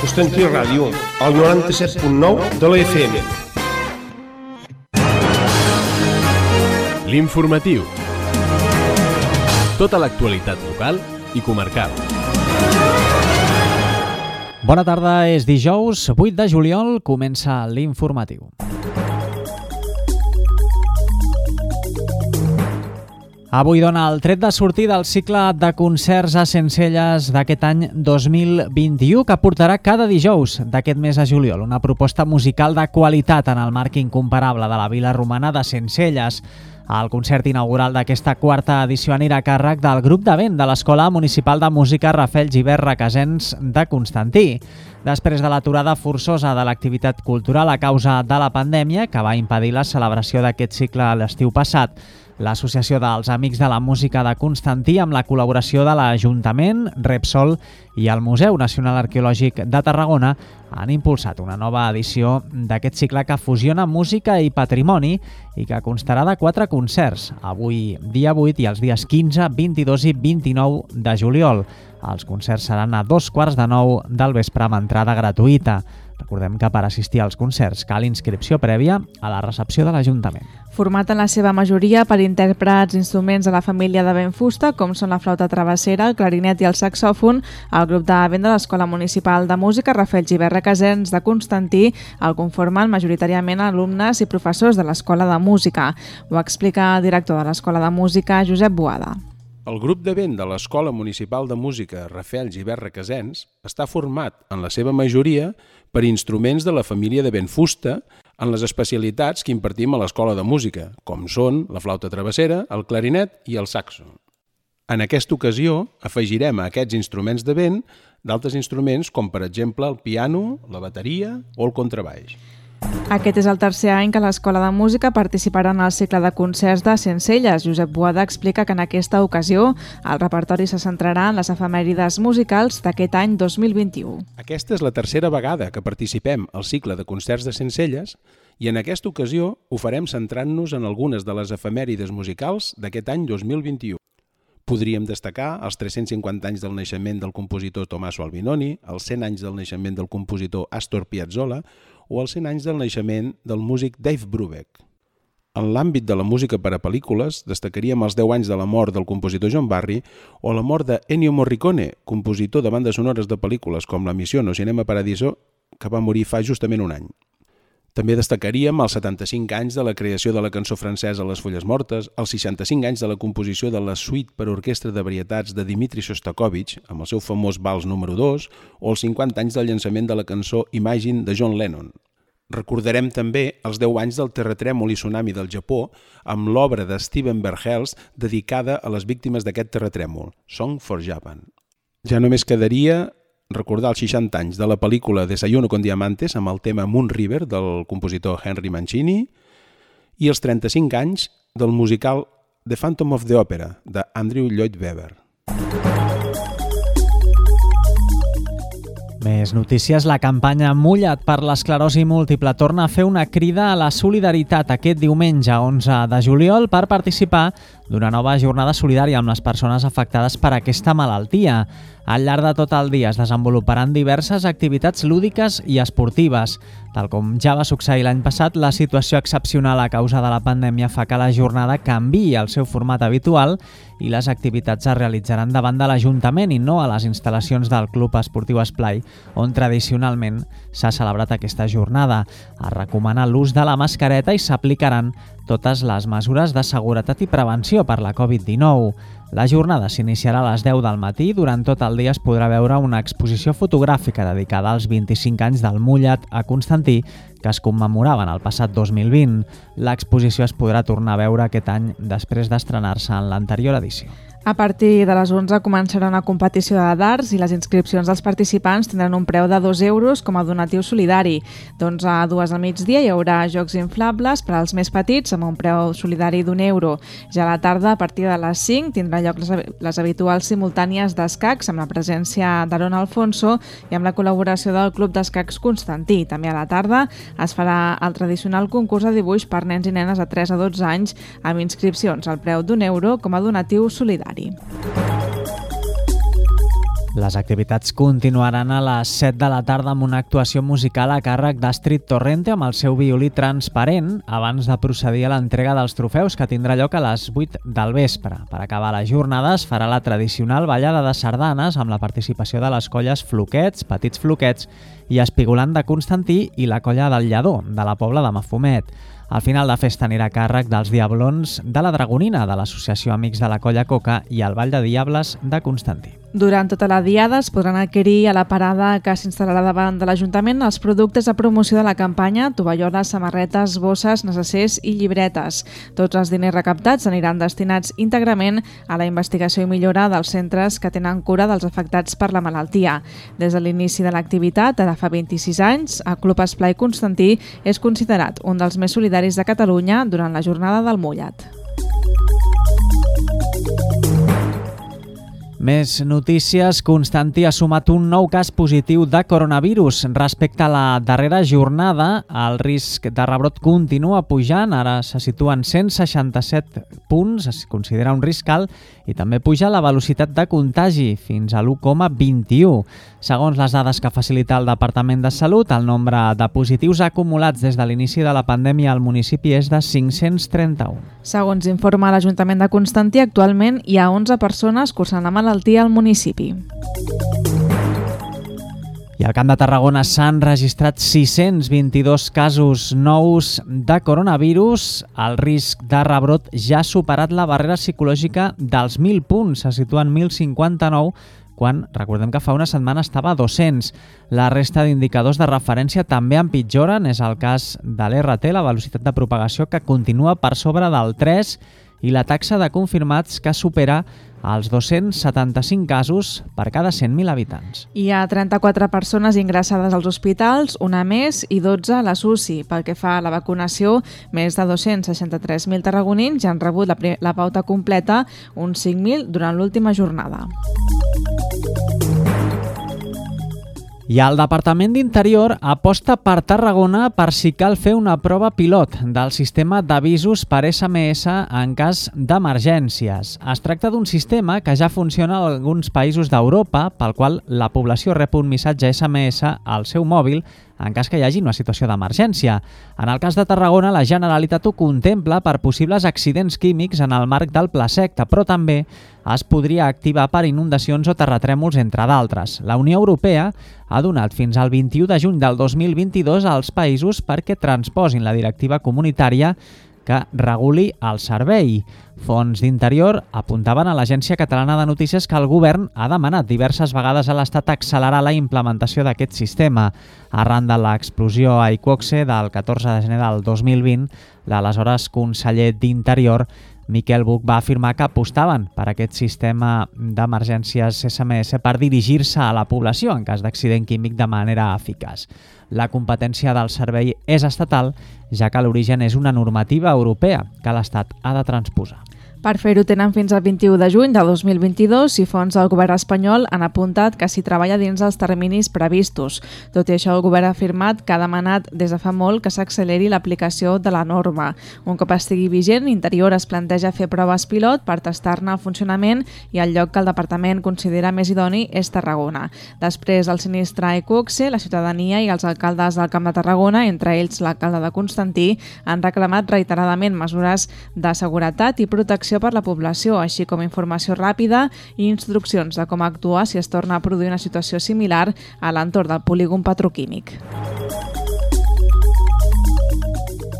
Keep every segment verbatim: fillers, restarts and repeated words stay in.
Constantí Ràdio, al noranta-set punt nou de la F M. L'informatiu. Tota l'actualitat local i comarcal. Bona tarda, és dijous, vuit de juliol, comença l'informatiu. Avui dona el tret de sortir del cicle de concerts a Sencelles d'aquest any dos mil vint-i-u que portarà cada dijous d'aquest mes de juliol una proposta musical de qualitat en el marc incomparable de la vila romana de Sencelles. El concert inaugural d'aquesta quarta edició anirà a càrrec del grup de vent de l'Escola Municipal de Música Rafael Gibert Requesens de Constantí. Després de l'aturada forçosa de l'activitat cultural a causa de la pandèmia que va impedir la celebració d'aquest cicle l'estiu passat, l'Associació dels Amics de la Música de Constantí, amb la col·laboració de l'Ajuntament, Repsol i el Museu Nacional Arqueològic de Tarragona, han impulsat una nova edició d'aquest cicle que fusiona música i patrimoni i que constarà de quatre concerts, avui dia vuit i els dies quinze, vint-i-dos i vint-i-nou de juliol. Els concerts seran a dos quarts de nou del vespre amb entrada gratuïta. Recordem que per assistir als concerts cal inscripció prèvia a la recepció de l'Ajuntament. Format en la seva majoria per intèrprets instruments de la família de vent fusta, com són la flauta travessera, el clarinet i el saxòfon, el grup de vent de l'Escola Municipal de Música Rafael Gibert Requesens de Constantí el conformen majoritàriament alumnes i professors de l'Escola de Música. Ho explica el director de l'Escola de Música, Josep Boada. El grup de vent de l'Escola Municipal de Música Rafael Gibert Requesens està format, en la seva majoria, per instruments de la família de vent fusta en les especialitats que impartim a l'Escola de Música, com són la flauta travessera, el clarinet i el saxo. En aquesta ocasió afegirem a aquests instruments de vent d'altres instruments com, per exemple, el piano, la bateria o el contrabaix. Aquest és el tercer any que l'Escola de Música participarà en el cicle de concerts de Sencelles. Josep Boada explica que en aquesta ocasió el repertori se centrarà en les efemèrides musicals d'aquest any dos mil vint-i-u. Aquesta és la tercera vegada que participem al cicle de concerts de Sencelles i en aquesta ocasió ho farem centrant-nos en algunes de les efemèrides musicals d'aquest any dos mil vint-i-u. Podríem destacar els tres-cents cinquanta anys del naixement del compositor Tommaso Albinoni, els cent anys del naixement del compositor Astor Piazzolla o els cent anys del naixement del músic Dave Brubeck. En l'àmbit de la música per a pel·lícules, destacaríem els deu anys de la mort del compositor John Barry o la mort de Ennio Morricone, compositor de bandes sonores de pel·lícules com La Missió o Cinema Paradiso, que va morir fa justament un any. També destacaríem els setanta-cinc anys de la creació de la cançó francesa Les Fulles Mortes, els seixanta-cinc anys de la composició de la suite per orquestra de varietats de Dmitri Shostakovich, amb el seu famós vals número dos, o els cinquanta anys del llançament de la cançó Imagine de John Lennon. Recordarem també els deu anys del terratrèmol i tsunami del Japó amb l'obra de Steven Verhelst dedicada a les víctimes d'aquest terratrèmol, Song for Japan. Ja només quedaria recordar els seixanta anys de la pel·lícula Desayuno con Diamantes amb el tema Moon River del compositor Henry Mancini i els trenta-cinc anys del musical The Phantom of the Opera de Andrew Lloyd Webber. Més notícies. La campanya Mulla't per l'esclerosi múltiple torna a fer una crida a la solidaritat aquest diumenge onze de juliol per participar d'una nova jornada solidària amb les persones afectades per aquesta malaltia. Al llarg de tot el dia es desenvoluparan diverses activitats lúdiques i esportives. Tal com ja va succeir l'any passat, la situació excepcional a causa de la pandèmia fa que la jornada canviï el seu format habitual i les activitats es realitzaran davant de l'Ajuntament i no a les instal·lacions del Club Esportiu Esplai, on tradicionalment s'ha celebrat aquesta jornada. Es recomana l'ús de la mascareta i s'aplicaran totes les mesures de seguretat i prevenció per la covid dinou. La jornada s'iniciarà a les deu del matí i durant tot el dia es podrà veure una exposició fotogràfica dedicada als vint-i-cinc anys del Mulla't a Constantí que es commemoraven el passat dos mil vint. L'exposició es podrà tornar a veure aquest any després d'estrenar-se en l'anterior edició. A partir de les onze començarà una competició de darts i les inscripcions dels participants tindran un preu de dos euros com a donatiu solidari. D'onze a dues al migdia hi haurà jocs inflables per als més petits amb un preu solidari d'un euro. Ja a la tarda, a partir de les cinc, tindrà lloc les, les habituals simultànies d'escacs amb la presència d'Aaron Alfonso i amb la col·laboració del Club d'Escacs Constantí. També a la tarda es farà el tradicional concurs de dibuix per nens i nenes de tres a dotze anys amb inscripcions al preu d'un euro com a donatiu solidari. Les activitats continuaran a les set de la tarda amb una actuació musical a càrrec d'Astrid Torrente amb el seu violí transparent abans de procedir a l'entrega dels trofeus, que tindrà lloc a les vuit del vespre. Per acabar la jornada es farà la tradicional ballada de sardanes amb la participació de les colles Floquets, Petits Floquets i Espigolant de Constantí i la colla del Lledó, de la Pobla de Mafumet. El final de festa anirà a càrrec dels Diablons de la Dragonina, de l'Associació Amics de la Colla Coca i el Ball de Diables de Constantí. Durant tota la diada es podran adquirir a la parada que s'instal·larà davant de l'Ajuntament els productes de promoció de la campanya, tovalloles, samarretes, bosses, necessers i llibretes. Tots els diners recaptats aniran destinats íntegrament a la investigació i millora dels centres que tenen cura dels afectats per la malaltia. Des de l'inici de l'activitat, ara fa vint-i-sis anys, el Club Esplai Constantí és considerat un dels més solidaris de Catalunya durant la jornada del mullat. Més notícies. Constantí ha sumat un nou cas positiu de coronavirus. Respecte a la darrera jornada, el risc de rebrot continua pujant. Ara se situa en cent seixanta-set punts, es considera un risc alt, i també puja la velocitat de contagi fins a l'u coma vint-i-u. Segons les dades que facilita el Departament de Salut, el nombre de positius acumulats des de l'inici de la pandèmia al municipi és de cinc-cents trenta-un. Segons informa l'Ajuntament de Constantí, actualment hi ha onze persones cursant la malaltia al municipi. I al Camp de Tarragona s'han registrat sis-cents vint-i-dos casos nous de coronavirus. El risc de rebrot ja ha superat la barrera psicològica dels mil punts, se situa en mil cinquanta-nou, quan recordem que fa una setmana estava a dos-cents. La resta d'indicadors de referència també empitjoren. És el cas de l'R T, la velocitat de propagació, que continua per sobre del tres, i la taxa de confirmats que supera els dos-cents setanta-cinc casos per cada cent mil habitants. Hi ha trenta-quatre persones ingressades als hospitals, una més, i dotze a les U C I. Pel que fa a la vacunació, més de dos-cents seixanta-tres mil tarragonins ja han rebut la, la pauta completa, uns cinc mil durant l'última jornada. I el Departament d'Interior aposta per Tarragona per si cal fer una prova pilot del sistema d'avisos per S M S en cas d'emergències. Es tracta d'un sistema que ja funciona en alguns països d'Europa, pel qual la població rep un missatge S M S al seu mòbil en cas que hi hagi una situació d'emergència. En el cas de Tarragona, la Generalitat ho contempla per possibles accidents químics en el marc del Pla Secta, però també es podria activar per inundacions o terratrèmols, entre d'altres. La Unió Europea ha donat fins al vint-i-u de juny del dos mil vint-i-dos als països perquè transposin la directiva comunitària que reguli el servei. Fons d'Interior apuntaven a l'Agència Catalana de Notícies que el govern ha demanat diverses vegades a l'Estat accelerar la implementació d'aquest sistema. Arran de l'explosió a Iqoxe del catorze de gener del dos mil vint, l'aleshores conseller d'Interior, Miquel Buch, va afirmar que apostaven per aquest sistema d'emergències S M S per dirigir-se a la població en cas d'accident químic de manera eficaç. La competència del servei és estatal, ja que l'origen és una normativa europea que l'Estat ha de transposar. Per fer-ho tenen fins al vint-i-u de juny de dos mil vint-i-dos i fons del govern espanyol han apuntat que s'hi treballa dins els terminis previstos. Tot i això, el govern ha afirmat que ha demanat des de fa molt que s'acceleri l'aplicació de la norma. Un cop estigui vigent, Interior es planteja fer proves pilot per tastar-ne el funcionament i el lloc que el departament considera més idoni és Tarragona. Després del sinistre a Iqoxe, la ciutadania i els alcaldes del Camp de Tarragona, entre ells l'alcalde de Constantí, han reclamat reiteradament mesures de seguretat i protecció per la població, així com informació ràpida i instruccions de com actuar si es torna a produir una situació similar a l'entorn del polígon petroquímic.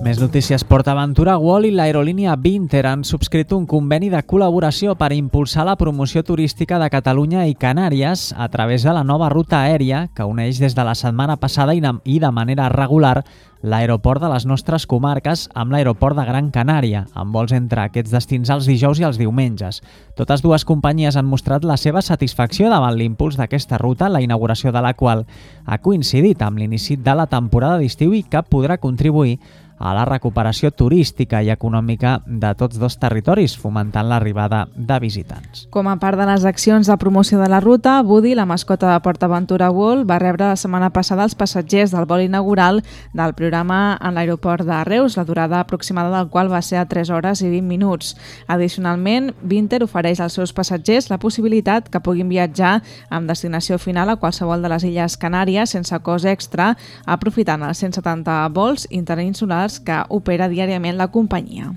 Més notícies. PortAventura World i l'aerolínia Vinter han subscrit un conveni de col·laboració per impulsar la promoció turística de Catalunya i Canàries a través de la nova ruta aèria que uneix des de la setmana passada i de manera regular l'aeroport de les nostres comarques amb l'aeroport de Gran Canària, amb vols entre aquests destins els dijous i els diumenges. Totes dues companyies han mostrat la seva satisfacció davant l'impuls d'aquesta ruta, la inauguració de la qual ha coincidit amb l'inici de la temporada d'estiu i que podrà contribuir a la recuperació turística i econòmica de tots dos territoris, fomentant l'arribada de visitants. Com a part de les accions de promoció de la ruta, Woody, la mascota de PortAventura World, va rebre la setmana passada els passatgers del vol inaugural del programa en l'aeroport de Reus, la durada aproximada del qual va ser a tres hores i vint minuts. Addicionalment, Vinter ofereix als seus passatgers la possibilitat que puguin viatjar amb destinació final a qualsevol de les Illes Canàries sense cost extra, aprofitant els cent setanta vols interinsulars que opera diàriament la companyia.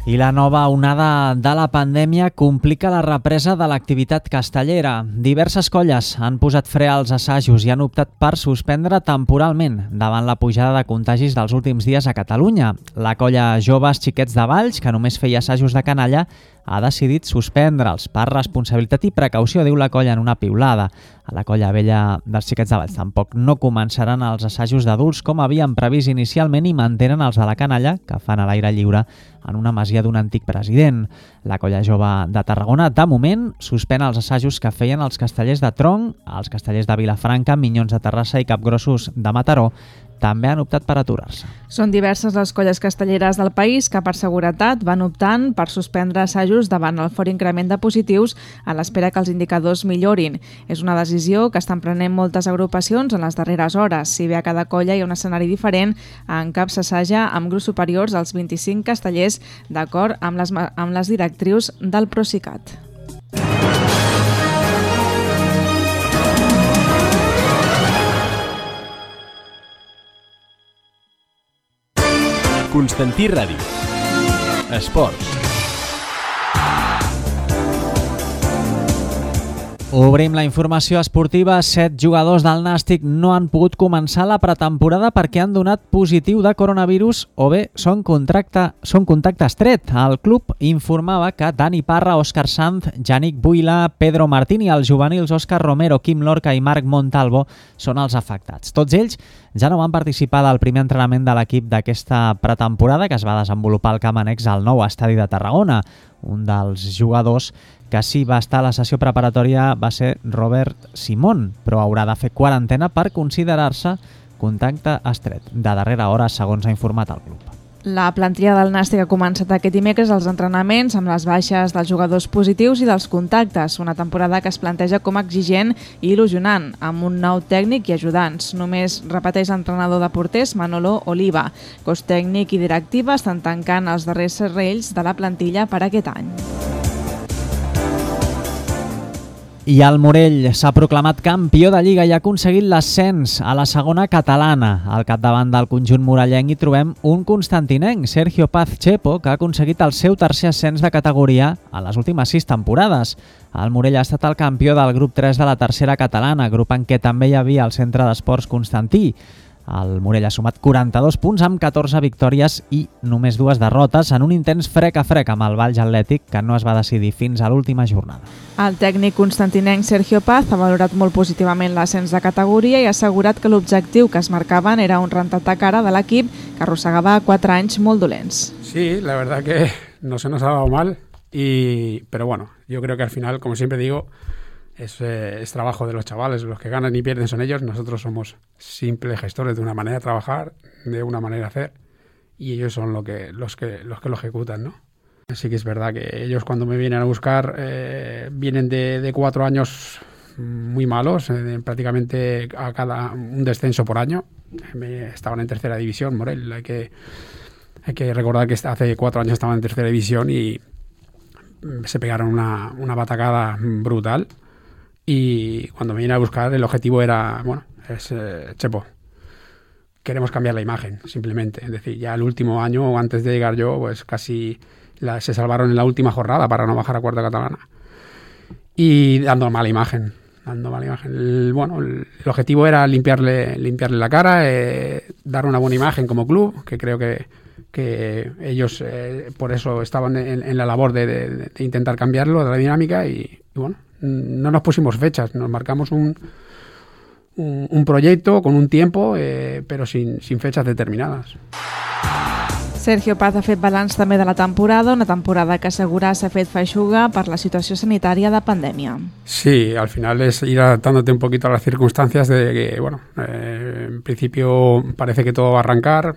I la nova onada de la pandèmia complica la represa de l'activitat castellera. Diverses colles han posat fre als assajos i han optat per suspendre temporalment davant la pujada de contagis dels últims dies a Catalunya. La colla Joves Xiquets de Valls, que només feia assajos de canalla, ha decidit suspendre'ls per responsabilitat i precaució, diu la colla en una piulada. A la colla vella dels Xiquets de Valls tampoc no començaran els assajos d'adults com havien previst inicialment i mantenen els de la canalla, que fan a l'aire lliure en una masia d'un antic president. La colla jove de Tarragona, de moment, suspèn els assajos que feien els castellers de Tronc, els castellers de Vilafranca, Minyons de Terrassa i Capgrossos de Mataró, també han optat per aturar-se. Són diverses les colles castelleres del país que per seguretat van optant per suspendre assajos davant el fort increment de positius a l'espera que els indicadors millorin. És una decisió que estan prenent moltes agrupacions en les darreres hores. Si bé a cada colla hi ha un escenari diferent, en cap s'assaja amb grups superiors als vint-i-cinc castellers d'acord amb les, amb les directrius del Procicat. Constantí Ràdio. Esports. Obrim la informació esportiva. Set jugadors del Nàstic no han pogut començar la pretemporada perquè han donat positiu de coronavirus o bé són, contracte, són contacte estret. El club informava que Dani Parra, Òscar Sanz, Yannick Buila, Pedro Martín i els juvenils Òscar Romero, Quim Lorca i Marc Montalvo són els afectats. Tots ells ja no van participar del primer entrenament de l'equip d'aquesta pretemporada que es va desenvolupar al camp annex al nou estadi de Tarragona. Un dels jugadors que sí va estar a la sessió preparatòria va ser Robert Simón, però haurà de fer quarantena per considerar-se contacte estret. De darrera hora, segons ha informat el club. La plantilla del Nàstic ha començat aquest dimecres els entrenaments amb les baixes dels jugadors positius i dels contactes, una temporada que es planteja com exigent i il·lusionant, amb un nou tècnic i ajudants. Només repeteix l'entrenador de porters Manolo Oliva. Cos tècnic i directiva estan tancant els darrers serrells de la plantilla per aquest any. I el Morell s'ha proclamat campió de Lliga i ha aconseguit l'ascens a la segona catalana. Al capdavant del conjunt morellenc hi trobem un constantinenc, Sergio Paz Chepo, que ha aconseguit el seu tercer ascens de categoria en les últimes sis temporades. El Morell ha estat el campió del grup tres de la tercera catalana, grup en què també hi havia el Centre d'Esports Constantí. El Morell ha sumat quaranta-dos punts amb catorze victòries i només dues derrotes en un intens frec a frec amb el Valls Atlètic que no es va decidir fins a l'última jornada. El tècnic constantinenc Sergio Paz ha valorat molt positivament l'ascens de categoria i ha assegurat que l'objectiu que es marcaven era un rentat de cara de l'equip que arrossegava quatre anys molt dolents. Sí, la verdad que no se nos ha dado mal, y, pero bueno, yo creo que al final, como siempre digo, Es, eh, es trabajo de los chavales, los que ganan y pierden son ellos, nosotros somos simples gestores de una manera de trabajar, de una manera de hacer, y ellos son lo que, los, que, los que lo ejecutan, ¿no? Así que es verdad que ellos cuando me vienen a buscar eh, vienen de, de cuatro años muy malos, eh, prácticamente a cada un descenso por año. Me, estaban en tercera división, Morell, hay que, hay que recordar que hace cuatro años estaban en tercera división y se pegaron una, una batacada brutal. Y cuando me vine a buscar el objetivo era, bueno, es eh, Chepo, queremos cambiar la imagen, simplemente. Es decir, ya el último año o antes de llegar yo, pues casi la, se salvaron en la última jornada para no bajar a cuarta catalana. Y dando mala imagen, dando mala imagen. El, bueno, el, el objetivo era limpiarle, limpiarle la cara, eh, dar una buena imagen como club, que creo que, que ellos eh, por eso estaban en, en la labor de, de, de intentar cambiarlo, de la dinámica, y, y bueno, no nos pusimos fechas, nos marcamos un, un, un proyecto con un tiempo, eh, pero sin, sin fechas determinadas. Sergio Paz ha fet balanç també de la temporada, una temporada que assegura s'ha fet feixuga per la situació sanitària de pandèmia. Sí, al final es ir adaptándote un poquito a las circunstancias de que, bueno, eh, en principio parece que todo va a arrancar.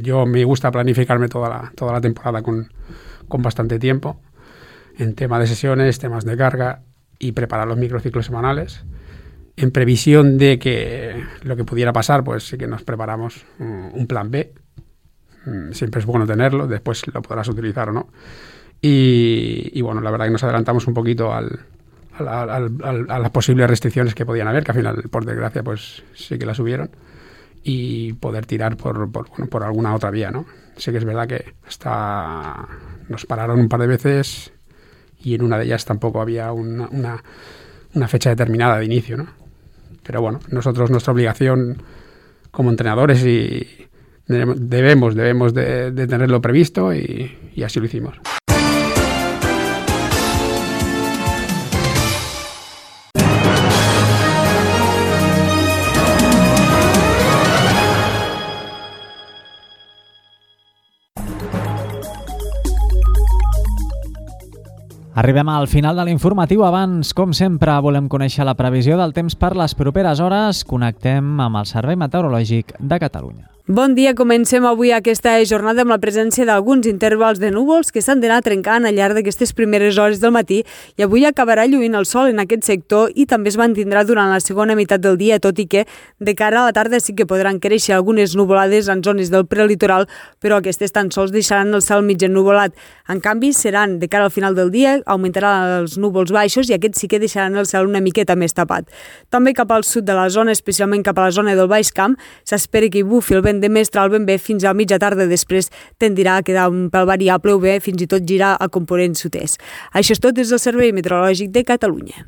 Yo me gusta planificarme toda la, toda la temporada con, con bastante tiempo en temas de sesiones, temas de carga y preparar los microciclos semanales. En previsión de que lo que pudiera pasar, pues sí que nos preparamos un, un plan B. Siempre es bueno tenerlo, después lo podrás utilizar o no. Y, y bueno, la verdad que nos adelantamos un poquito al, al, al, al, a las posibles restricciones que podían haber, que al final, por desgracia, pues sí que las hubieron, y poder tirar por, por, bueno, por alguna otra vía, ¿no? Sí que es verdad que hasta nos pararon un par de veces y en una de ellas tampoco había una, una, una fecha determinada de inicio, ¿no? Pero bueno, nosotros, nuestra obligación como entrenadores y Debemos, debemos de, de tenerlo previsto y, y así lo hicimos. Arribem al final de l'informatiu. Abans, com sempre, volem conèixer la previsió del temps per les properes hores. Connectem amb el Servei Meteorològic de Catalunya. Bon dia, comencem avui aquesta jornada amb la presència d'alguns intervals de núvols que s'han d'anar trencant al llarg d'aquestes primeres hores del matí i avui acabarà lluint el sol en aquest sector i també es mantindrà durant la segona meitat del dia, tot i que de cara a la tarda sí que podran créixer algunes nuvolades en zones del prelitoral, però aquestes tan sols deixaran el cel mig ennuvolat. En canvi, seran de cara al final del dia, augmentaran els núvols baixos i aquests sí que deixaran el cel una miqueta més tapat. També cap al sud de la zona, especialment cap a la zona del Baix Camp, s'espera que hi bufi el vent de mestral ben bé fins a mitja tarda, després tendirà a quedar un pèl variable o bé fins i tot girar a component sud-est. Això és tot des del Servei Meteorològic de Catalunya.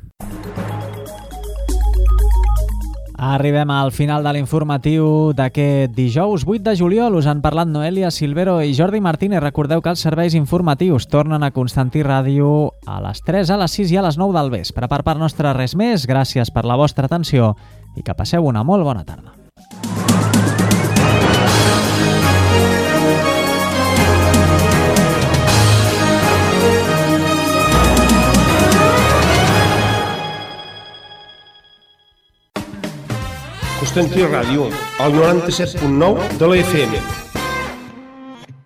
Arribem al final de l'informatiu d'aquest dijous vuit de juliol. Us han parlat Noelia Silvero i Jordi Martínez. Recordeu que els serveis informatius tornen a Constantí Ràdio a les tres, a les sis i a les nou del vespre. Per part nostra res més, gràcies per la vostra atenció i que passeu una molt bona tarda. Constantí Ràdio, el noranta-set punt nou de la F M.